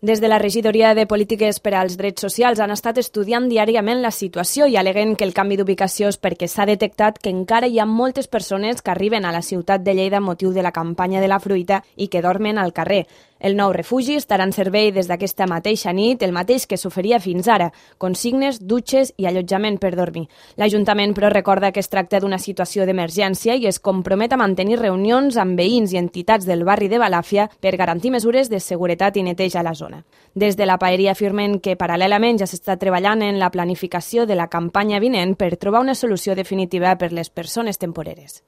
Des de la Regidoria de Polítiques per als Drets Socials han estat estudiant diàriament la situació i aleguen que el canvi d'ubicació és perquè s'ha detectat que encara hi ha moltes persones que arriben a la ciutat de Lleida a motiu de la campanya de la fruita i que dormen al carrer. El nou refugi estarà en servei des d'aquesta mateixa nit, el mateix que s'oferia fins ara, consignes, dutxes i allotjament per dormir. L'Ajuntament, però, recorda que es tracta d'una situació d'emergència i es compromet a mantenir reunions amb veïns i entitats del barri de Balàfia per garantir mesures de seguretat i neteja a la zona. Des de la paeria afirmen que paral·lelament ja s'està treballant en la planificació de la campanya vinent per trobar una solució definitiva per les persones temporeres.